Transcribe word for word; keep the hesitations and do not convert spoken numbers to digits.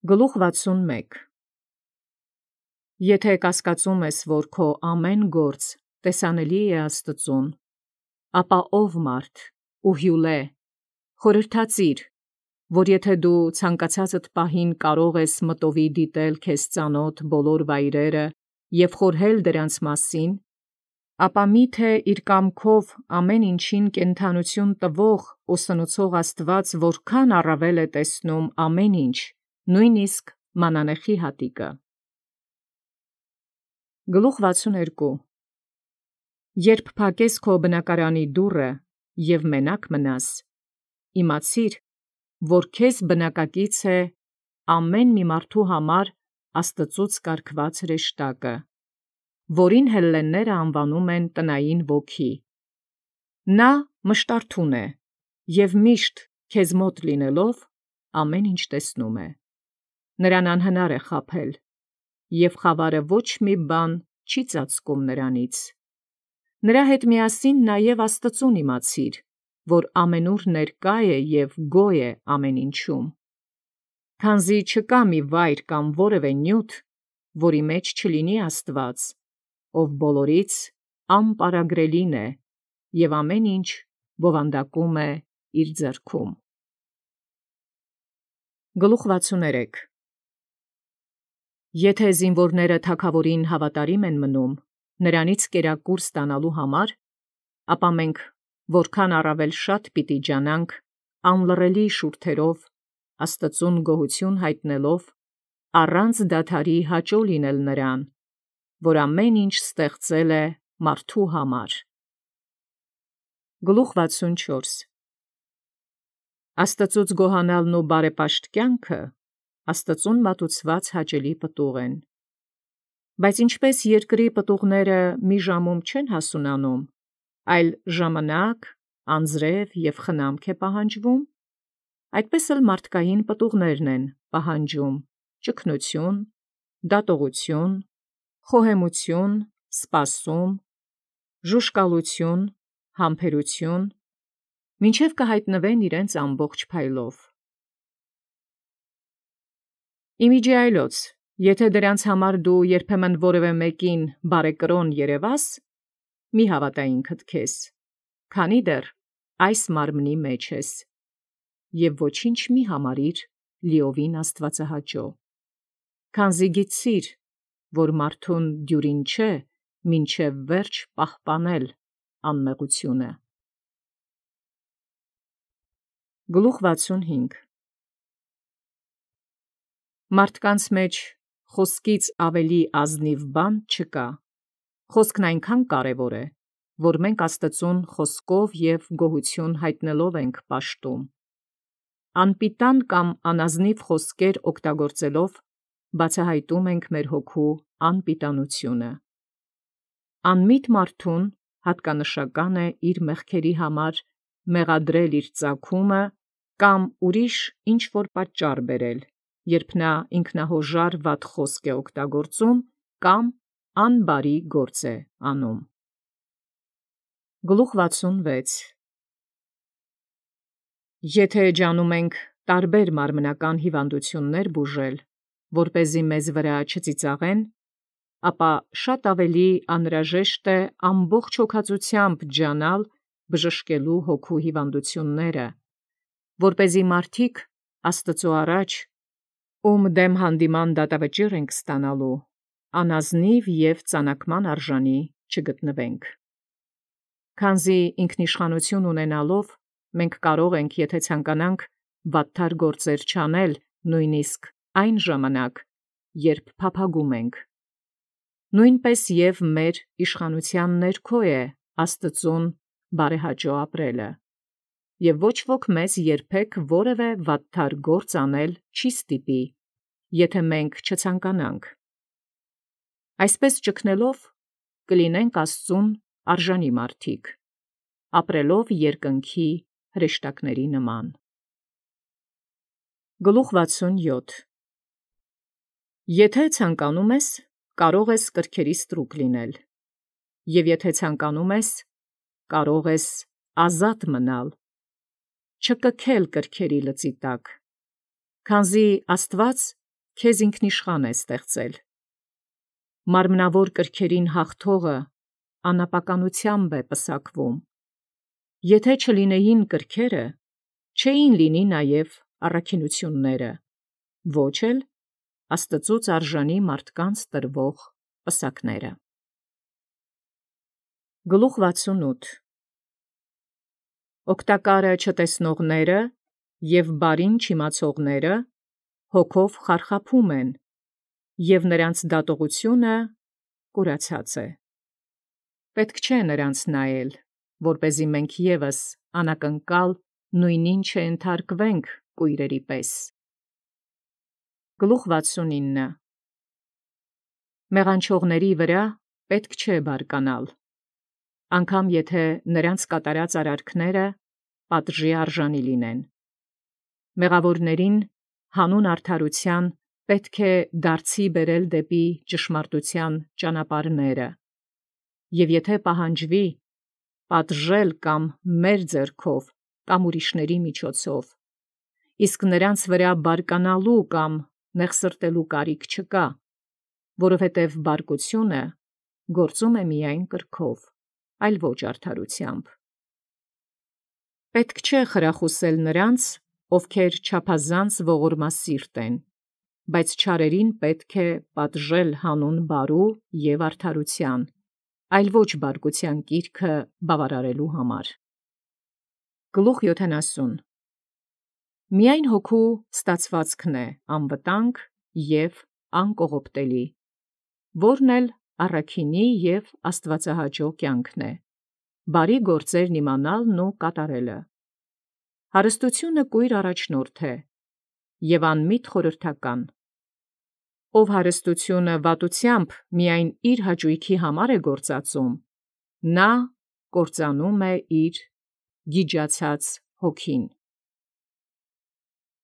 Գլուխ վաթսունմեկ Եթե կասկածում ես, որ քո ամեն գործ տեսանելի է Աստծուն, ապա ով մարդ ու հյուլե, խորհրդածիր, որ եթե դու ցանկացածդ պահին կարող ես մտովի դիտել քեզ ծանոթ բոլոր վայրերը և խորհել դրանց մասին, ապա միթե իր կամքով ամեն ինչին կենդանություն տվող ու սնուցող Աստված որքան առավել է տեսնում ամեն ինչ, նույնիսկ մանանեխի հատիկը։ Գլուխ վաթսունհերկու Երբ փակես քո բնակարանի դուռը և մենակ մնաս, իմացիր, որ քեզ բնակակից է ամեն մի մարդու համար Աստծուց կարգված հրեշտակը, որին հելլենները անվանում են տնային ոգի։ Նա մշտարթուն է և միշտ քեզ մոտ լինելով ամեն ինչ տեսնում է։ Նրան անհնար է խաբել, և խավարը ոչ մի բան չի ծածկում նրանից։ Նրա հետ միասին նաև Աստծուն իմացիր, որ ամենուր ներկա է և գոյ է ամեն ինչում։ Քանզի չկա մի վայր կամ որևէ նյութ, որի մեջ չլինի Աստված, ով բոլորից անպարագրելին է և ամեն ինչ բովանդակում է իր ձեռքում։ Գլուխ վաթսուներեք Եթե զինվորները թագավորին հավատարիմ են մնում, նրանից կերակուր ստանալու համար, ապա մենք որքան առավել շատ պիտի ջանանք անլռելի շուրթերով Աստծուն գոհություն հայտնելով, առանց դադարի հաճոյ լինել նրան, որ ամեն ինչ ստեղծել է մարդու համար։ Գլուխ վաթսունչորս Աստծուց գոհանալն ու բարեպաշտ կյանքը Աստծուն մատուցված հաճելի պտուղ են։ Բայց ինչպես երկրի պտուղները մի ժամում չեն հասունանում, այլ ժամանակ, անձրև և խնամք է պահանջվում, այդպես էլ մարդկային պտուղներն են պահանջում ճգնություն, դատողություն, խոհեմություն, սպասում, ժուժկալություն, համբերություն, մինչև կհայտնվեն իրենց ամբողջ փայլով։ Իմիջիայլոց, եթե դրանց համար դու երբեմն որևէ մեկին բարեկրոն երևաս, մի հավատա ինքդ քեզ, քանի դեռ այս մարմնի մեջ ես, և ոչինչ մի համարիր լիովին աստվածահաճո, քանզի գիտցիր, որ մարդուն դյուրին չէ մինչև վերջ պահպանել անմեղությունը։ Գլուխ վաթսունհինգ Մարդկանց մեջ խոսքից ավելի ազնիվ բան չկա, խոսքն այնքան կարևոր է, որ մենք Աստծուն խոսքով և գոհություն հայտնելով ենք պաշտում։ Անպիտան կամ անազնիվ խոսքեր օգտագործելով բացահայտում ենք մեր հոգու անպիտանությունը։ Անմիտ մարդուն հատկանշական է իր մեղքերի համար մեղադրել իր ծագումը կամ ուրիշ ինչ-որ պատճառ բերել, երբ նա ինքնահոժար վատ խոսք է օգտագործում կամ անբարի գործ է անում։ Գլուխ վաթսունվեց Եթե ջանում ենք տարբեր մարմնական հիվանդություններ բուժել, որպեսզի մեզ վրա չծիծաղեն, ապա շատ ավելի անհրաժեշտ է ամբողջ հոգածությամբ ջանալ բժշկելու հոգու հիվանդությունները, որպեսզի մարդիկ Աստծու առաջ, ում դեմ հանդիման դատավճիռ ենք ստանալու, անազնիվ և ծանկման արժանի չգտնվենք։ Քանզի ինքնիշխանություն ունենալով մենք կարող ենք, եթե ցանկանանք, վատթար գործեր չանել նույնիսկ այն ժամանակ, երբ փափագում ենք։ Նույնպես և մեր իշխանության ներքո է Աստծուն բարեհաճո ապրելը, և ոչ ոք մեզ երբեք որևէ վատթար գործ անել չի ստիպի, եթե մենք չցանկանանք։ Այսպես ճգնելով կլինենք Աստծուն արժանի մարդիկ, ապրելով երկնքի հրեշտակների նման։ Գլուխ վաթսունյոթ Եթե ցանկանում ես, կարող ես կրքերի ստրուկ լինել, և եթե ցանկանում ես, կարող ես ազատ մնալ, չկքել կրքերի լծի տակ, քանզի Աստված քեզ ինքնիշխան է ստեղծել։ Մարմնավոր կրքերին հաղթողը անապականությամբ է պսակվում։ Եթե չլինեին կրքերը, չէին լինի նաև առաքինությունները, ոչ էլ Աստծուց արժանի մարդկանց տրվող պսակները։ Գլուխ վաթսունութ Օգտակարը չտեսնողները և բարին չիմացողները հոգով խարխափում են, և նրանց դատողությունը կուրացած է։ Պետք չէ նրանց նայել, որպեսզի մենք ևս անակնկալ նույնին չենթարկվենք կույրերի պես։ Գլուխ վաթսունինը Մեղանչողների վրա պետք չէ բարկանալ, անգամ եթե նրանց կատարած արարքները պատժի արժանի լինեն։ Մեղավորներին հանուն արդարութեան պետք է դարձի բերել դեպի ճշմարտութեան ճանապարհները, և եթե պահանջվի պատժել կամ մեր ձեռքով կամ ուրիշների միջոցով, իսկ նրանց վրա բարկանալու կամ մեղսրտելու կարիք չկա, որովհետև բարկությունը գործում է միայն կրքով, այլ ոչ արդարութեամբ։ Պետք չէ խրախուսել նրանց, ովքեր չափազանց ողորմասիրտ են, բայց չարերին պետք է պատժել հանուն բարու և արդարութեան, այլ ոչ բարկութեան կիրքը բավարարելու համար։ Գլուխ յոթանասուն Միայն հոգու ստացվածքն է անվտանգ և անկողոպտելի, որն էլ առաքինի և աստուածահաճո կյանքն է, բարի գործերն իմանալն ու կատարելը։ Հարստությունը կույր առաջնորդ է և անմիտ խորհրդական։ Ով հարստությունը վատությամբ միայն իր հաճոյքի համար է գործածում, նա կործանում է իր գիջացած հոգին։